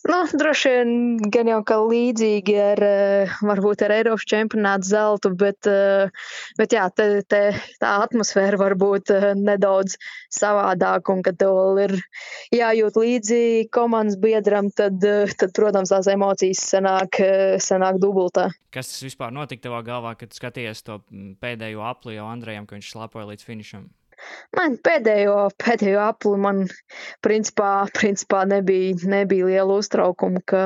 Nu, droši vien gan jau kā līdzīgi ar, varbūt ar Eiropas čempionātu zeltu, bet jā, tā atmosfēra var būt nedaudz savādāka, un kad tev vēl ir jājūt līdzi komandas biedram, tad, protams, tās emocijas sanāk dubultā. Kas tas vispār notika tavā galvā, kad skaties to pēdējo apli jau Andrejam, ka viņš slapoja līdz finišam? Man pēdējo apli man principā nebija liela uztraukuma, ka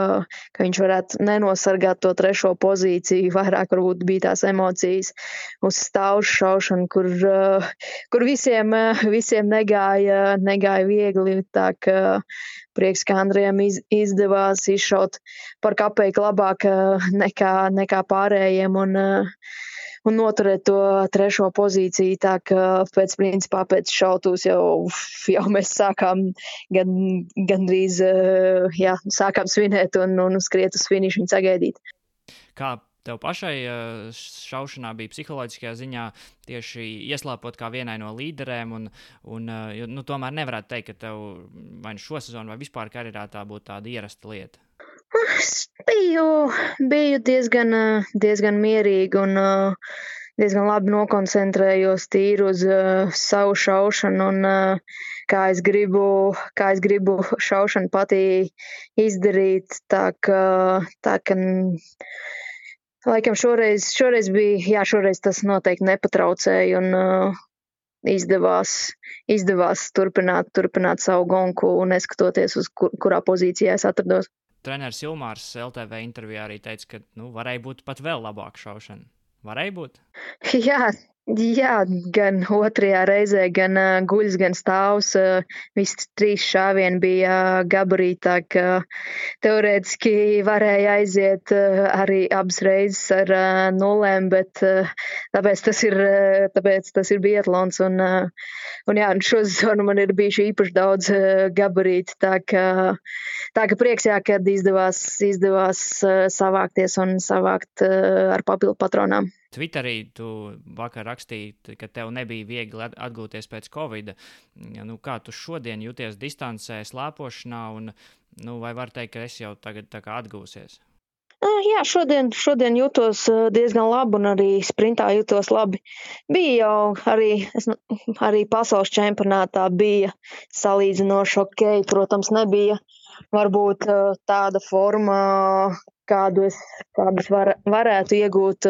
viņš varētu nenosargāt to trešo pozīciju. Vairāk varbūt bija tās emocijas uz stāvšu šaušanu, kur visiem negāja viegli. Tā ka prieks, ka Andrejam izdevās izšaut par kapeiku labāk nekā pārējiem un noturēt to trešo pozīciju, tā ka pēc šautūs jau mēs sākām gandrīz sākām svinēt un skriet uz finišu un sagaidīt. Kā tev pašai šaušanā bija psiholoģiskajā ziņā tieši ieslāpot kā vienai no līderēm, un tomēr nevarētu teikt, ka tev vai nu šo sezonu vai vispār karjerā tā būtu tāda ierasta lieta? Es biju diezgan mierīga un diezgan labi nokoncentrējos tīri uz savu šaušanu un kā es gribu šaušanu patī izdarīt. Tā ka laikam šoreiz bija, šoreiz tas noteikti nepatraucēja un izdevās turpināt savu gonku un neskatoties uz kurā pozīcijā es atrados. Treneris Ilmārs LTV intervijā arī teica, ka varēja būt pat vēl labāka šaušana. Varēja būt? Jā, gan otrajā reizē, gan guļs, gan stāvs. Visi 3 šāvieni bija gabarītā, ka teorētiski varēja aiziet arī abas reizes ar 0, bet tāpēc tas ir biatlons. Un šo sezonu man ir bijuši īpaši daudz gabarīti, tā ka prieks, kad izdevās savākties un savākt ar papildu patronām. Twitterī tu vakar rakstīji, ka tev nebija viegli atgūties pēc Covida. Kā tu šodien jūties distancē, slēpošanā, un vai var teikt, ka esi jau tagad tā kā atgūsies? Jā, šodien jūtos diezgan labi un arī sprintā jūtos labi. Bija jau arī pasaules čempionātā bija salīdzinoši ok. Protams, nebija varbūt tāda forma, kādus varētu iegūt,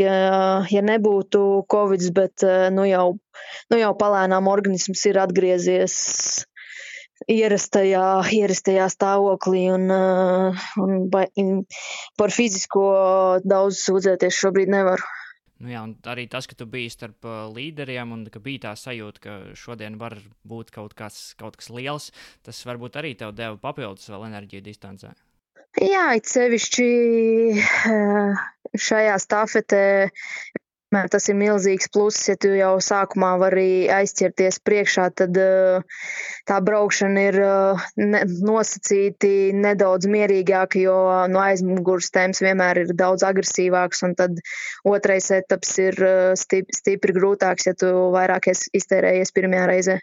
ja nebūtu Covids, bet nu jau palēnām organisms ir atgriezies ierastajā stāvoklī un par fizisko daudz sūdzēties šobrīd nevaru. Jā, un arī tas, ka tu biji starp līderiem un ka bija tā sajūta, ka šodien var būt kaut kas liels, tas varbūt arī tev deva papildus vēl enerģiju distancē. Jā, it sevišķi šajā stafetē tas ir milzīgs pluss, ja tu jau sākumā vari aizķerties priekšā, tad tā braukšana ir nosacīti nedaudz mierīgāka, jo no aizmugures temps vienmēr ir daudz agresīvāks, un tad otrais etaps ir stipri grūtāks, ja tu vairāk iztērējies pirmajā reizē.